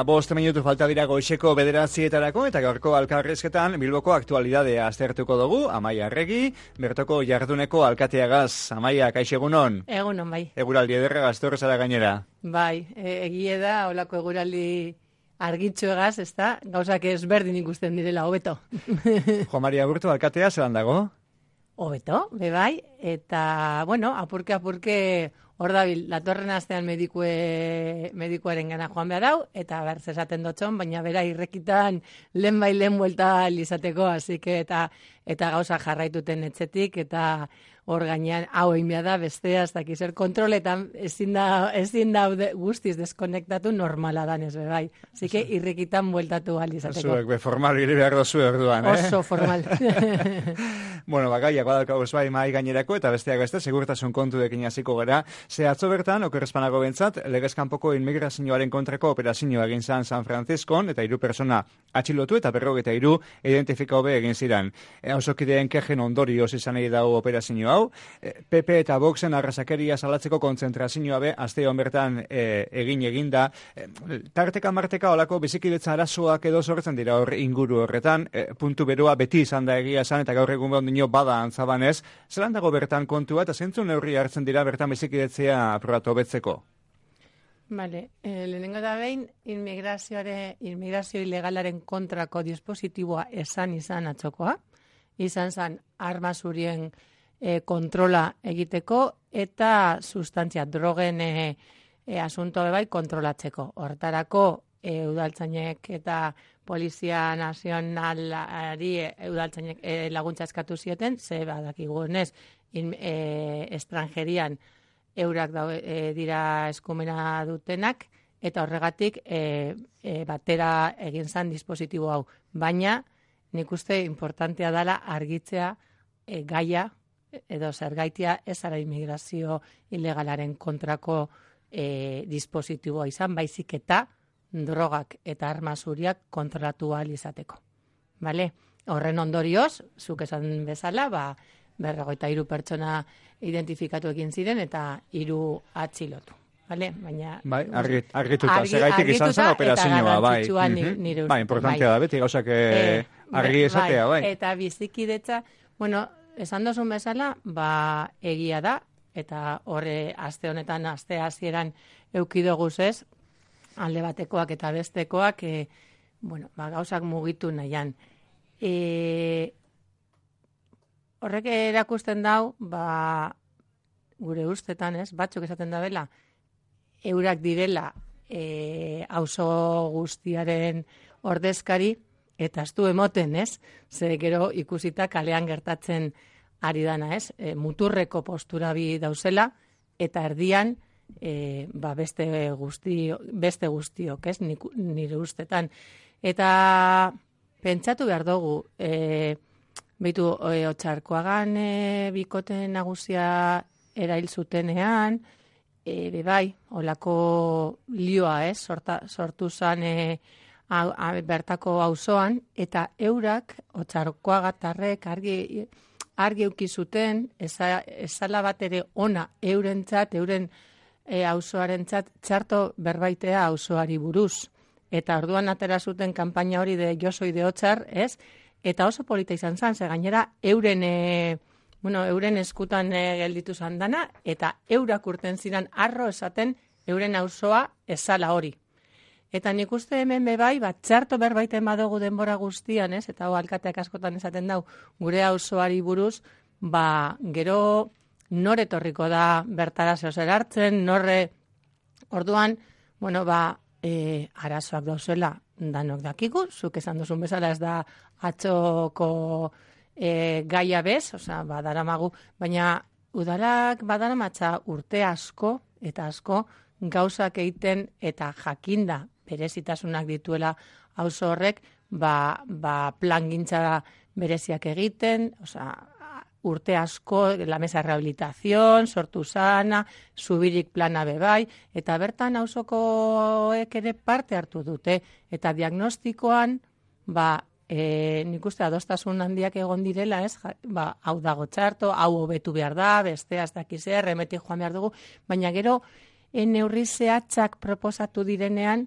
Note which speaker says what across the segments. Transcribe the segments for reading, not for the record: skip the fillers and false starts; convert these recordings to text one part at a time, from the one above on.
Speaker 1: 5 minutu falta dira goizeko 9:00 eta gaurko elkarrizketan Bilboko aktualidadea aztertuko dugu. Amaia Arregi, Bertoko jarduneko alkateagaz. Amaia, kaixo egunon?
Speaker 2: Egunon, bai.
Speaker 1: Eguraldi ederra gaztorrez ara gainera.
Speaker 2: Bai, egie da, holako eguraldi argitxoegaz, ez da, gauzak ezberdin ikusten direla, hobeto.
Speaker 1: Jo Maria Aburto, alkatea zelan dago?
Speaker 2: Hobeto, bai, eta, bueno, apurke, hor dabil, datorren astean medikuaren gana joan behar hau, eta berz esaten dotxon, baina bera irrekitan lehen buelta izateko, así que, eta gauza jarraituten etxetik, eta hor gainean, hau egin behar da, bestea, ez dakiz, kontroletan ezin da guztiz deskonektatu normala danez, bai. Así que irrekitan bueltatu izateko.
Speaker 1: Zuek, formal gire behar dozu erduan,
Speaker 2: Oso formal.
Speaker 1: Bueno, bagaiak badalkago ez bai mai gainerako, eta besteak beste, segurtasun kontuekin hasiko gara. Ze atzo bertan, okerrezpanago bentsat, legezkanpoko inmigrazioaren kontrako operazioa egin zan San Franciscon, eta 3 persona atxilotu eta 53 identifika hobe egin ziren. Ausokideen kejen ondorioz izan egin dago operazio hau. PP eta Voxen arrasakeria salatzeko kontzentrazioa be, asteon bertan egin da. Tarteka marteka olako bizikidetza arazoak edo sortzen dira hor inguru horretan. Puntu beroa beti izan da egia esan, eta gaur egun behondino bada antzabanez. Zelan dago bertan kontua, eta zentzun neurri hartzen dira bertan bizikidetzea aprobatu hobetzeko?
Speaker 2: Vale, lehenengo da behin, inmigrazio ilegalaren kontrako dispositiboa izan atzokoa, izan zan arma zurien kontrola egiteko eta sustantzia drogen asunto bai kontrolatzeko. Hortarako udaltzainek eta Polizia Nazionalari udaltzainek laguntza eskatu zioten, ze badakigunez estrangerian eurak dira eskumena dutenak, eta horregatik batera egin zan dispositibo hau. Baina, nik uste importantea dela argitzea gaia, edo zergaitia ez ara inmigrazio ilegalaren kontrako dispositiboa izan, baizik eta drogak eta arma zuriak kontrolatu ahal izateko. Vale? Horren ondorioz, zuk esan bezala, 53 pertsona identifikatu egin ziren eta 3 atxilotu. Vale? Baina
Speaker 1: bai, argituta, segaitik izan zen operazioa, bai. Bai, importantea da, beti gauzak argi esatea, bai.
Speaker 2: Eta bizikidetza, bueno, esan dozun bezala, egia da, eta horre aste honetan, aste hasieran eukidoguz ez, alde batekoak eta bestekoak, gauzak mugitu nahian. Horrek erakusten dau, gure ustetan ez, batzuk esaten da bela, eurak direla auzo guztiaren ordezkari, eta ez du emoten, ez? Ze gero ikusita kalean gertatzen ari dana, ez? Muturreko postura bi dauzela, eta erdian beste guztiok, ez? Nire ustetan. Eta pentsatu behar dugu, Otxarkoagan bikote nagusia erail zutenean, bai, olako lioa, ez? Sortu zan bertako auzoan, eta eurak, Otxarkoagatarrek argi euki zuten, ezala bat ere ona eurentzat, euren auzoarentzat txarto berbaitea auzoari buruz. Eta orduan atera zuten kanpaina hori de Yo soy de Otxar, ez? Eta oso polita izan zan, ze gainera euren eskutan gelditu zan dana, eta eurak urten ziren arro esaten euren auzoa ezala hori. Eta nik uste hemen bai, txarto berbaiten badugu denbora guztian, ez? Eta alkateak askotan esaten dau, gure auzoari buruz, gero nore etorriko da bertara zehozer hartzen, orduan, arazoak dauzela danok dakigu, zuk esan duzun bezala ez da atxoko gaia bez, badaramagu, baina udalak badaramatza urte asko eta asko gauzak egiten eta jakinda berezitasunak dituela auzo horrek, plangintza bereziak egiten, urte asko, la mesa rehabilitación, sortu zana, zubirik plana bebai, eta bertan auzokoek ere parte hartu dute, eta diagnostikoan, nik uste adostasun handiak egon direla, ez? Hau dago txarto, hau hobetu behar da, bestea ez dakiz erremetik joan behar dugu, baina gero neurri zehatzak proposatu direnean,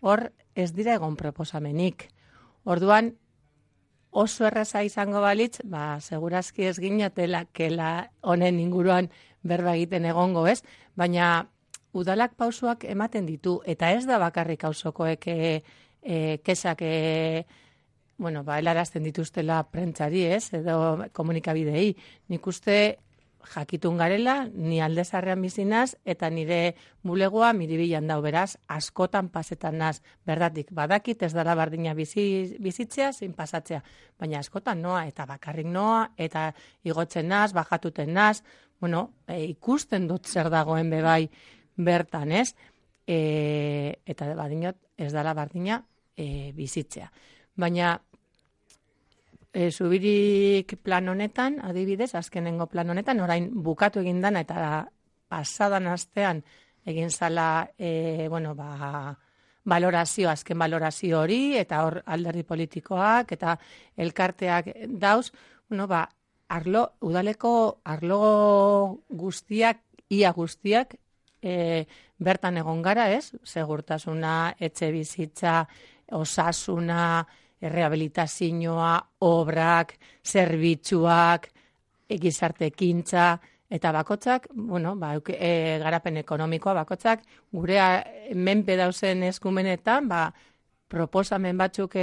Speaker 2: hor ez dira egon proposamenik. Orduan, oso erraza izango balitz, segurazki ez ginatela kela honen inguruan berba egiten egongo, ez? Baina udalak pausuak ematen ditu, eta ez da bakarrik auzokoek kesak helarazten dituztela prentsari, ez? Edo komunikabidei. Nik uste jakitun garela, ni Aldezarrean bizinaz, eta nire bulegoa Miribilan dau, beraz, askotan pasetan naz. Berdatik, badakit ez dara bardina bizitzea, zein pasatzea. Baina askotan noa, eta bakarrik noa, eta igotzen naz, bajatuten naz, ikusten dut zer dagoen bebai bertan, ez? Eta badinot ez dara bardina bizitzea. Baina Zubirik plan honetan, adibidez, azkenengo plan honetan, orain bukatu egin dana eta pasadan astean egin zala, azken balorazio hori, eta hor alderdi politikoak, eta elkarteak dauz, udaleko arlo guztiak, ia guztiak, bertan egon gara, ez? Segurtasuna, etxe bizitza, osasuna, rehabilitazioa, obrak, zerbitzuak, gizarte ekintza, eta bakotzak, garapen ekonomikoa bakotzak, gure menpe dauzen eskumenetan, proposamen batzuk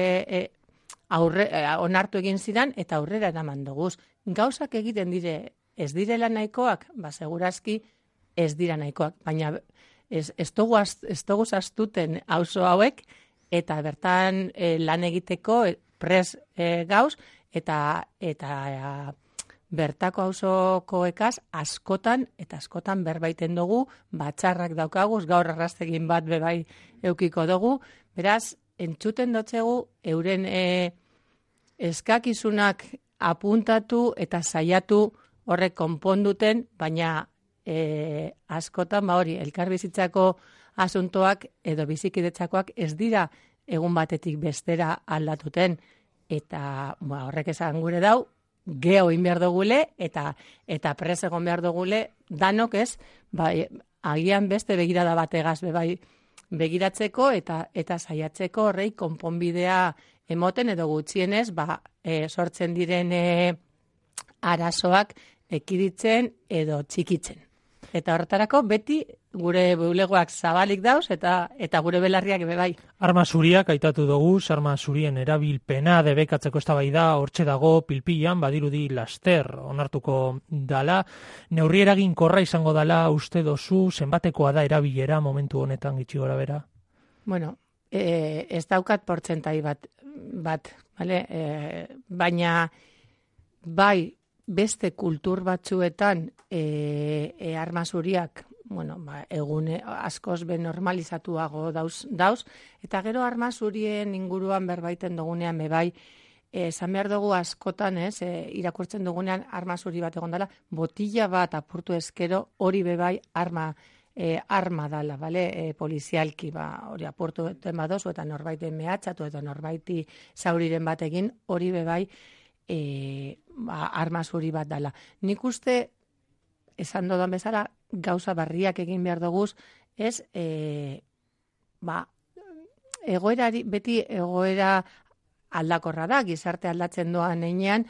Speaker 2: onartu egin ziren, eta aurrera eraman duguz. Gauzak egiten dire, ez direla nahikoak, segurazki ez dira nahikoak, baina ez dugu zastuten auzo hauek, eta bertan lan egiteko pres gauz, eta bertako auzokoekaz askotan berbaiten dugu, batzarrak daukaguz, gaur arrastegin bat bebai eukiko dugu, beraz, entzuten dotzegu euren eskakizunak apuntatu eta saiatu horrek konponduten, baina askotan elkarbizitzako asuntoak edo bizikidetzakoak ez dira egun batetik bestera aldatuten, eta horrek esan gure dau, geho in behar dugule, eta pres egon behar dugule, danok ez, agian beste begirada bategaz begiratzeko, eta saiatzeko horrei konponbidea emoten, edo gutxienez, sortzen diren arazoak ekiditzen edo txikitzen. Eta horretarako beti gure bulegoak zabalik dauz eta gure belarriak bai.
Speaker 3: Arma zuriak aitatu dugu, arma zurien erabilpena debekatzeko eztabaida hortxe dago pilpilan, badirudi laster onartuko dala. Neurri eraginkorra izango dala uste dozu, zenbatekoa da erabilera momentu honetan gitxi gora bera?
Speaker 2: Ez daukat portzentai bat, vale? Baina bai, beste kultur batzuetan arma zuriak egune askoz normalizatuago dauz, eta gero arma zurien inguruan berbaiten dugunean bebai, esan behar dugu askotan, irakurtzen dugunean arma zuri bat egon dela, botila bat apurtu eskero hori bebai arma dala, bale? Polizialki hori apurtu duten badozu, eta norbaiten mehatxatu, eta norbaiti zauriren batekin hori bebai arma zuri bat dala. Nik uste, esan dodan bezala, gauza barriak egin behar duguz, ez, beti egoera aldakorra da, gizarte aldatzen doan einean,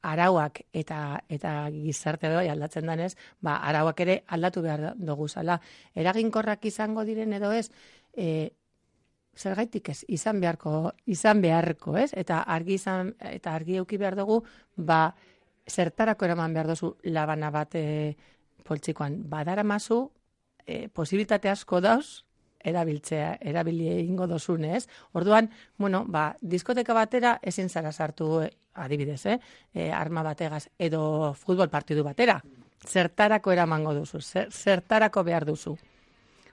Speaker 2: arauak eta gizarte doi aldatzen danez, arauak ere aldatu behar duguzala. Eraginkorrak izango diren edo ez, zergaitik ez, izan beharko, ez? Eta argi euki behar dugu, zertarako eraman behar duzu labana bat poltsikoan. Badara mazu, posibilitate asko dauz, erabili egingo dozunez. Orduan, diskoteka batera ezin zara sartu, adibidez, arma bategaz, edo futbol partidu batera. Zertarako eramango duzu, zertarako behar duzu.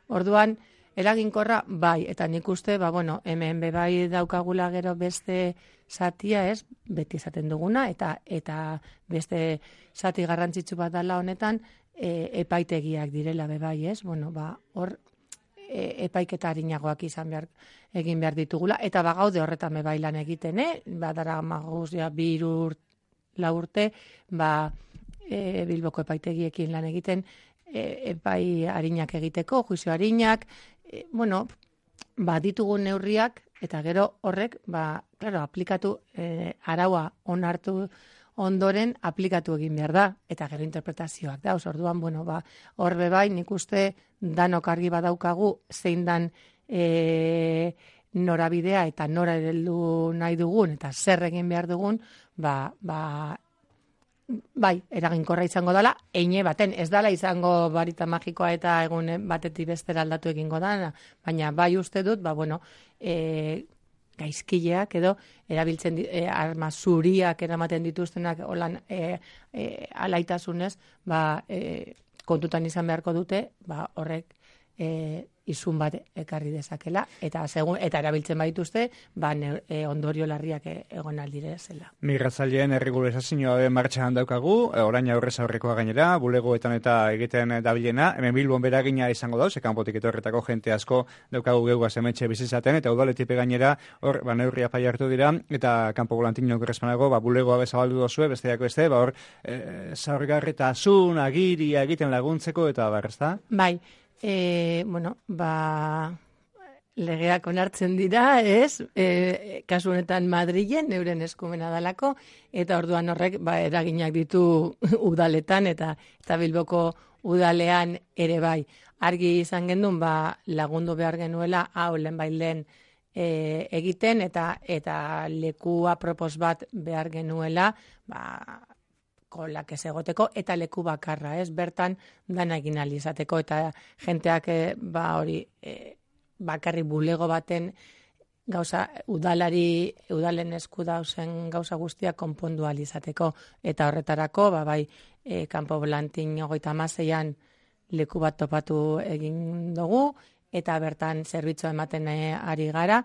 Speaker 2: Orduan, eraginkorra, bai, eta nik uste, hemen bai daukagula gero beste zatia, ez, beti esaten duguna, eta beste zati garrantzitsu bat dela honetan, epaitegiak direla bai, ez, hor epaiketa harinagoak egin behar ditugula, eta bagaude horretan bai lan egiten, badara maguz, 2-4 urte, Bilboko epaitegiekin lan egiten, epai harinak egiteko, juizio harinak, ditugun neurriak, eta gero horrek, claro, aplikatu, araua onartu ondoren aplikatu egin behar da, eta gero interpretazioak da, orduan, bueno, hor bai, nik uste danok argi badaukagu, zein dan norabidea eta nora heldu nahi dugun, eta zer egin behar dugun, bai, eraginkorra izango dela, eine baten, ez dela izango barita magikoa eta egun batetik bestera aldatu egingo da, baina bai uste dut, bueno, gaizkileak edo erabiltzen arma zuriak eramaten dituztenak olan alaitasunez, kontutan izan beharko dute, horrek izun bat ekarri dezakela, eta erabiltzen badituzte, ondorio larriak egon aldire zela.
Speaker 1: Migratzaileen erregularizazioa martxan daukagu, orain aurrez aurrekoa gainera, bulegoetan eta egiten dabilena, hemen Bilbon beragina izango dauz, kanpotik etorretako jente asko daukagu geugaz hementxe bizizaten, eta udaletipe gainera, hor, neurria pai hartu dira, eta kanpo volantino korrespanago, bulegoa bezabaldu dozue, besteak beste, hor, zaurgarritasun, agiria egiten laguntzeko, eta ezta?
Speaker 2: Bai. Bueno, legeak onartzen dira, ez? Kasu honetan Madrilen, euren eskumena dalako, eta orduan horrek, eraginak ditu udaletan, eta Bilboko udalean ere bai. Argi izan gendun, lagundu behar genuela, hau lehen egiten, eta leku apropos bat behar genuela, kolak ez egoteko, eta leku bakarra, ez? Bertan dana egin alizateko, eta jenteak hori bakarri bulego baten gauza udalen esku dauzen gauza guztiak konpondu alizateko, eta horretarako, bai, kanpo volantin 36an leku bat topatu egin dugu, eta bertan zerbitzua ematen ari gara,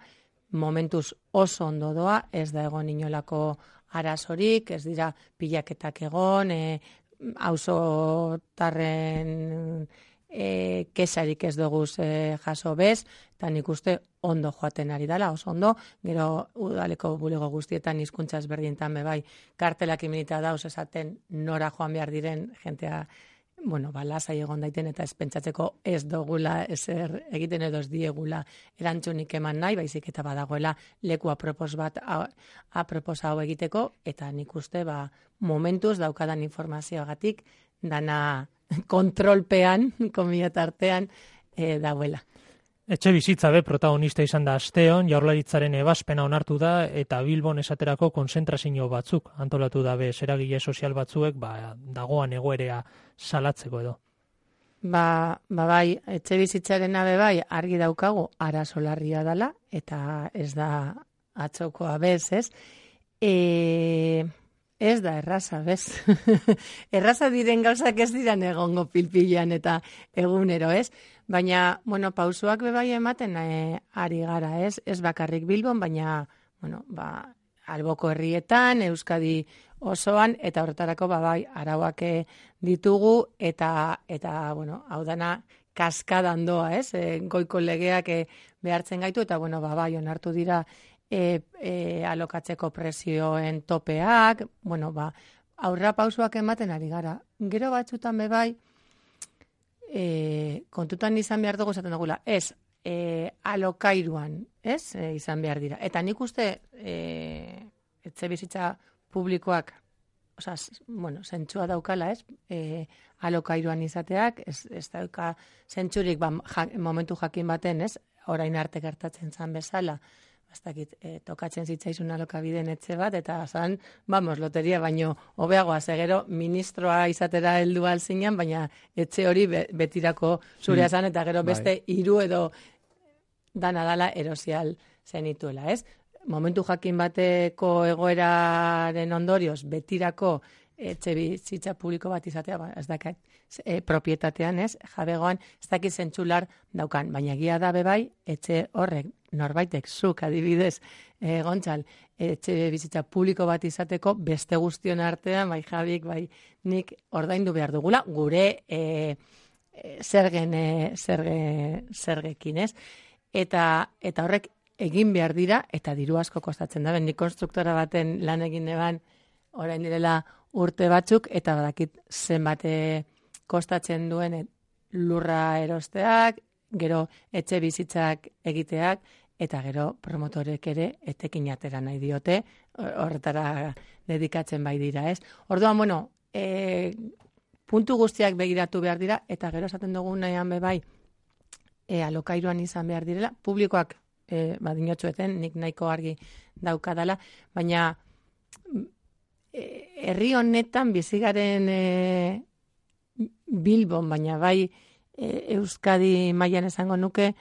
Speaker 2: momentuz oso ondo doa, ez da egon inolako arazorik, ez dira pilaketak egon, auzotarren kesarik ez duguz jaso bez, eta nik uste ondo joaten ari dela, oso ondo, gero udaleko bulego guztietan hizkuntza ezberdintan bai, kartelak iminita dauz esaten nora joan behar diren jentea, bueno, lasai egon daiten eta ez pentsatzeko ez dugula ezer egiten edo ez diegula erantzunik eman nahi, baizik eta badagoela leku apropos hau egiteko, eta nik uste momentuz daukadan informazioagatik dana kontrolpean, komiatartean, dauela.
Speaker 3: Etxe bizitza protagonista izan da asteon, Jaurlaritzaren ebazpena onartu da, eta Bilbon esaterako konzentrazio batzuk antolatu da eragile sozial batzuek, dagoan egoerea salatzeko edo.
Speaker 2: Bai, etxe bizitzaren bai, argi daukagu, arazo larria dela, eta ez da atzokoa bez, ez? Ez da erraza, bez? Erraza diren gauzak ez diran egongo pilpilean eta egunero, ez? Baina, bueno, pausuak bai ematen ari gara, ez? Ez bakarrik Bilbon, baina, bueno, alboko herrietan, Euskadi osoan, eta horretarako bai arauak ditugu, eta bueno, hau dana kaskadan doa, ez? Goiko legeak behartzen gaitu, eta, bueno, bai onartu dira alokatzeko prezioen topeak, bueno, aurra pausuak ematen ari gara. Gero batzutan bai, kontutan izan behar dugu esaten dugula, ez, alokairuan, ez, izan behar dira. Eta nik uste, etxe bizitza publikoak, bueno, zentzua daukala, ez, alokairuan izateak, ez dauka zentzurik momentu jakin baten, ez, orain arte gertatzen zan bezala, tokatzen zitzaizun alokabideen etxe bat, eta zan, loteria, baino hobeagoa, gero ministroa izatera heldu alzinan, baina etxe hori betirako zurea zan, eta gero beste 3 edo dana erosial zenituela, ez? Momentu jakin bateko egoeraren ondorioz, betirako etxe bizitza publiko bat izatea, ez dakit, propietatean, ez, jabegoan, ez dakit zentzular daukan, baina egia da bai, etxe horrek, norbaitek, zuk adibidez, Gontzal, etxe bizitza publiko bat izateko, beste guztion artean, bai Jabik, bai nik ordaindu behar dugula, gure zergekin, ez? Eta horrek egin behar dira, eta diru asko kostatzen da, nik konstruktora baten lan egin eban, orain direla urte batzuk, eta badakit zenbate kostatzen duen lurra erosteak, gero etxe bizitzak egiteak, eta gero promotorek ere etekin atera nahi diote, horretara dedikatzen bai dira, ez? Orduan, bueno, puntu guztiak begiratu behar dira, eta gero esaten dugu nahian bebai, alokairuan izan behar direla, publikoak dinotxueten, nik nahiko argi daukadala, baina herri honetan bizigaren Bilbon, baina bai Euskadi mailan esango nuke,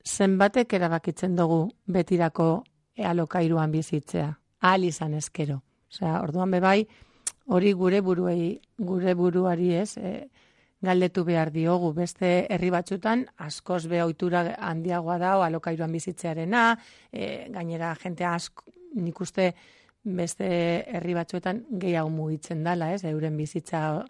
Speaker 2: zenbatek erabakitzen dugu betirako alokairuan bizitzea, ahal izan ezkero. Osea, orduan bebai, hori gure buruari ez, galdetu behar diogu, beste herri batzutan askoz be ohitura handiagoa da alokairuan bizitzearena, gainera jente asko, nik uste beste herri batzuetan gehiago mugitzen dala, ez, euren bizitza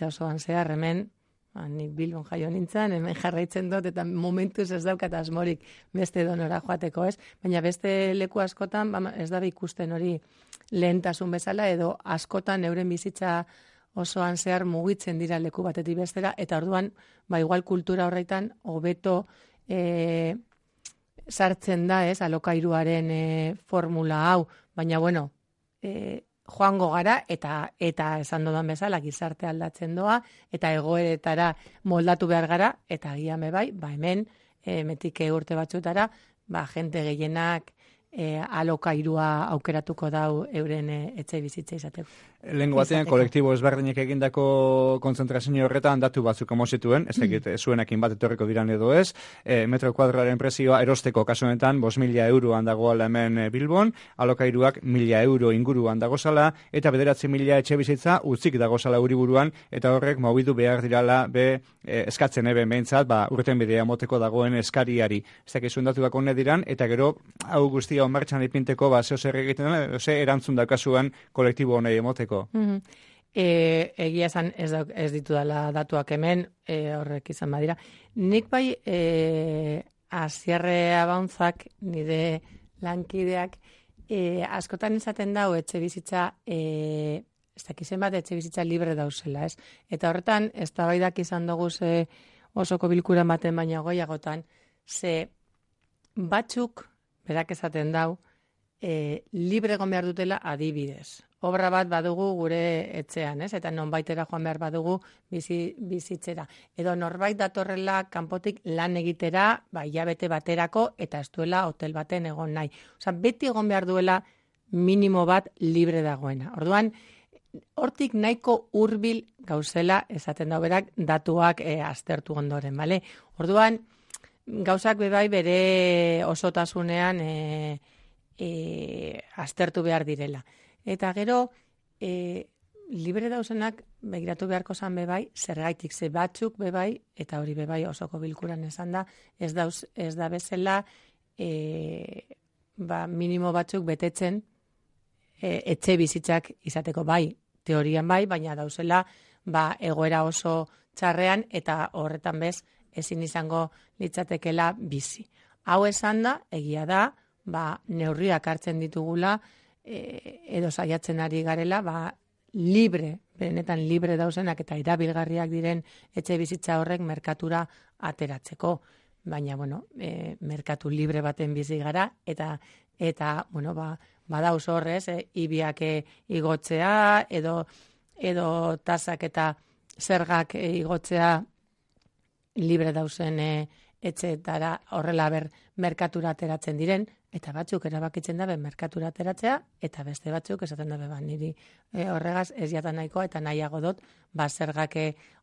Speaker 2: osoan zehar, hemen, nik Bilbon jaio nintzen, hemen jarraitzen dut, eta momentuz ez daukat asmorik beste donora joateko, ez? Baina beste leku askotan, ez da ikusten hori lehentasun bezala, edo askotan euren bizitza osoan zehar mugitzen dira leku batetik bestera, eta orduan, igual kultura horretan, hobeto sartzen da, ez, alokairuaren formula hau, baina, bueno, joango gara, eta esan dodan bezala, gizarte aldatzen doa, eta egoeretara moldatu behar gara, eta agian bai, hemen, metike urte batzutara, jente gehienak alokairua aukeratuko dau euren etxe bizitza izateko.
Speaker 1: Lehengo batean, kolektibo ezberdinek egindako konzentrazio horretan datu batzuk amozituen, ez dakit zuenekin bat etorriko diran edo ez, metro kuadroaren prezioa erosteko kasu honetan 5.000 euroan dagoela hemen Bilbon, alokairuak 1.000 euro inguruan dagozala, eta 9.000 etxe bizitza utzik dagozala uriburuan, eta horrek mobidu behar dirala eskatzen eben behintzat, urten bidea moteko dagoen eskariari. Ez dakit zuen datu dako diran, eta gero, hau guztia martxan ipinteko, zeo zer egiten, ze erantzun dakasuan kolektibo honei emoteko.
Speaker 2: Egia esan ez ditu dela datuak hemen, horrek izan badira. Nik bai, Asierre Abauntzak, nire lankideak, askotan izaten dau etxe bizitza, ez dakizen bat etxe bizitza libre dauzela, ez? Eta horretan, ez da baidak izan dugu osoko bilkuran baten baina goiagotan, ze batzuk, berak esaten dau, libre egon behar dutela adibidez. Obra bat badugu gure etxean, ez? Eta nonbaitera joan behar badugu bizitzera. Edo norbait datorrela kanpotik lan egitera, hilabete baterako, eta ez duela hotel baten egon nahi. Osa, beti egon behar duela minimo bat libre dagoena. Orduan, hortik nahiko hurbil gauzela, esaten da berak, datuak aztertu ondoren, bale? Orduan, gauzak bebai bere osotasunean aztertu behar direla. Eta gero, libre dauzenak begiratu beharko zan bebai, zergaitik ze batzuk bebai, eta hori bebai osoko bilkuran esan da, ez da bezala minimo batzuk betetzen etxe bizitzak izateko bai, teorian bai, baina dauzela egoera oso txarrean, eta horretan bez, ezin izango litzatekela bizi. Hau esan da, egia da, neurriak hartzen ditugula, edo saiatzen ari garela, libre, benetan libre dauzenak eta erabilgarriak diren etxe bizitza horrek merkatura ateratzeko. Baina, bueno, merkatu libre baten bizi gara, eta bueno, badauz horrez, ibiak igotzea, edo tasak eta zergak igotzea libre dauzen etxeetara horrela merkatura ateratzen diren, eta batzuk erabakitzen dabe merkatura ateratzea, eta beste batzuk esaten dabe niri horregaz ez jatan nahikoa, eta nahiago dut zergak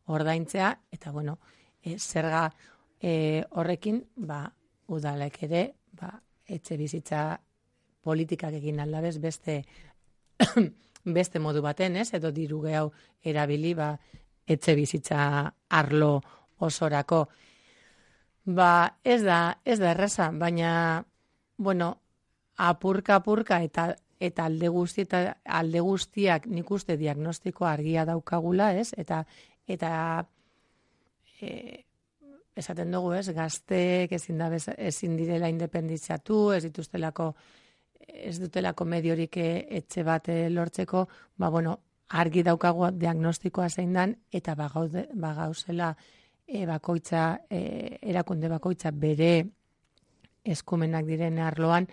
Speaker 2: ordaintzea, eta bueno, zerga horrekin udalek ere etxe bizitza politikak egin aldabez beste modu baten, ez? Edo diru gehau erabili etxe bizitza arlo osorako. Ez da erraza, baina bueno, apurka eta alde guztiak nik uste diagnostiko argia daukagula, ez? Eta esaten dugu, ez? Gazteek ezin direla independitzatu, ez dutelako mediorik etxe bat lortzeko, bueno, argi daukagu diagnostikoa zein dan, eta bagauzela bakoitza, erakunde bakoitza bere eskumenak diren arloan,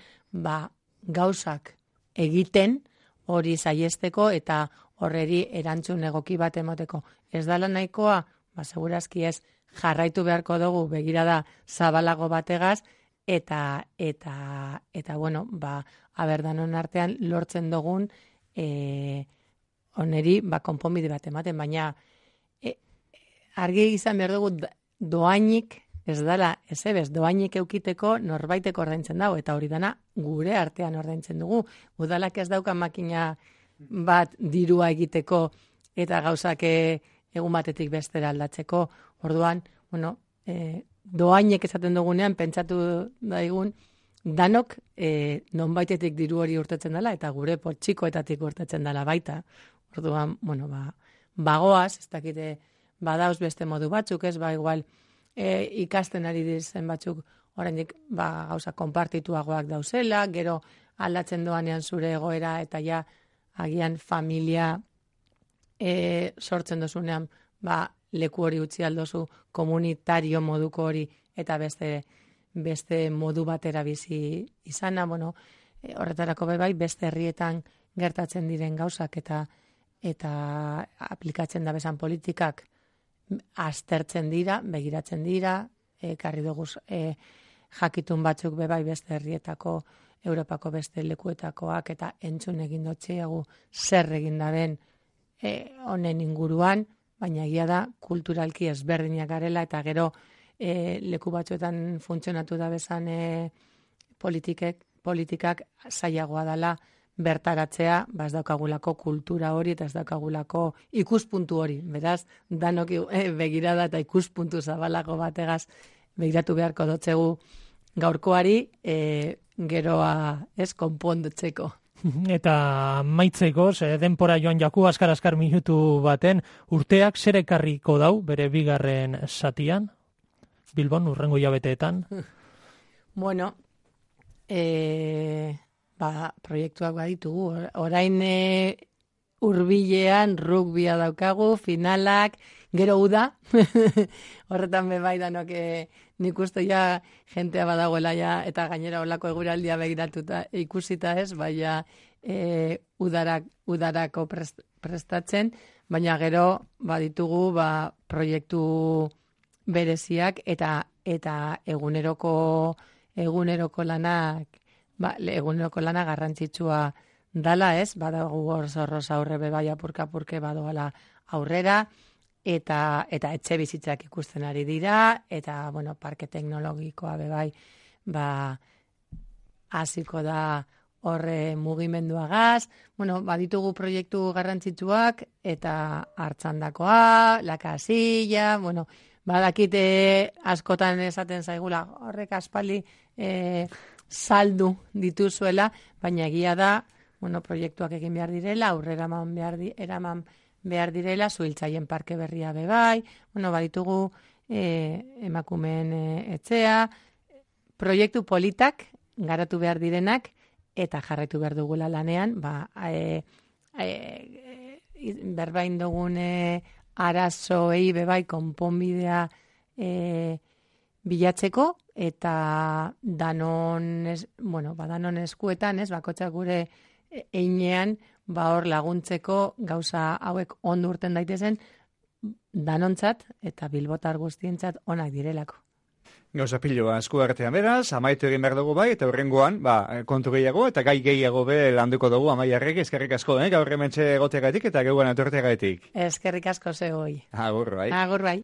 Speaker 2: gauzak egiten hori saiesteko eta horreri erantzun egoki bat emoteko. Ez dala nahikoa, segurazki ez, jarraitu beharko dugu begirada zabalago bategaz, eta bueno, aberdanon artean lortzen dugun oneri konponbide bat ematen, baina argi izan behar dugu doainik, ez dala, doainik eukiteko norbaitek ordaintzen dago, eta hori dana gure artean ordaintzen dugu. Udalak ez dauka makina bat dirua egiteko eta gauzak egun batetik bestera aldatzeko. Orduan, bueno, doainek esaten dugunean, pentsatu daigun, danok nonbaitetik diru hori urtetzen dela, eta gure poltsikoetatik urtetzen dela baita. Orduan, bueno, bagoaz, ez dakite, badauz beste modu batzuk, ez, igual, ikasten ari diren batzuk, oraindik gauza konpartituagoak dauzela, gero aldatzen doanean zure egoera, eta ja, agian familia sortzen dozunean, leku hori utzi aldozu komunitario moduko hori, eta beste modu batera bizi izana, bueno, horretarako bai, beste herrietan gertatzen diren gauzak, eta aplikatzen da bezan politikak aztertzen dira, begiratzen dira, karri dugu jakitun batzuk bai beste herrietako, Europako beste lekuetakoak, eta entzun egin dotxeagu zer egin daben honen inguruan, baina egia da kulturalki ezberdinak garela, eta gero leku batzuetan funtzionatu da bezan politikak zailagoa dela bertaratzea, ez daukagulako kultura hori eta ez daukagulako ikuspuntu hori. Beraz, danok begirada eta ikuspuntu zabalago bategaz begiratu beharko dotzegu gaurkoari, geroa konpondutzeko.
Speaker 3: Eta maitzeko, denpora joan jaku, askar minutu baten, urteak zer ekarriko dau bere bigarren zatian? Bilbon, urrengo hilabeteetan?
Speaker 2: Bueno, proiektuak baditugu. Orain hurbilean rugbia daukagu, finalak, gero uda. Horretan bebai danok nik uste ja jentea badagoela ja, eta gainera olako eguraldia begiratuta ikusita ez, baina udarako prestatzen, baina gero baditugu proiektu bereziak eta eguneroko lanak, eguneroko lana garrantzitsua dala ez, badago gorzorroz aurre bebai apurka-apurke badoala aurrera, eta etxe bizitzak ikusten ari dira, eta, bueno, parke teknologikoa bebai, hasiko da horre mugimenduagaz, bueno, baditugu proiektu garrantzitsuak, eta hartzandakoa, la casilla, bueno, badakite askotan esaten zaigula, horrek aspaldi saldu dituzuela, baina egia da, bueno, proiektuak egin behar direla, aurrera eraman behar direla, zuhiltzaien parke berria bebai, bueno, baditugu emakumeen etxea, proiektu politak garatu behar direnak, eta jarraitu behar dugula lanean, berbain dugun arazoei bebai konponbidea bilatzeko, eta danon eskuetan, bakotxak gure einean, hor laguntzeko gauza hauek ondo urten daitezen danontzat eta bilbotar guztientzat onak direlako.
Speaker 1: Gauza piloa esku artean beraz, amaitu egin behar dugu bai, eta horrengoan, kontu gehiago eta gai gehiago be landuko dugu Amaiarrek, eskerrik asko, gaur hementxe egoteagatik eta geuan etorteagatik.
Speaker 2: Eskerrik asko zegoi.
Speaker 1: Agur bai.
Speaker 2: Agur bai.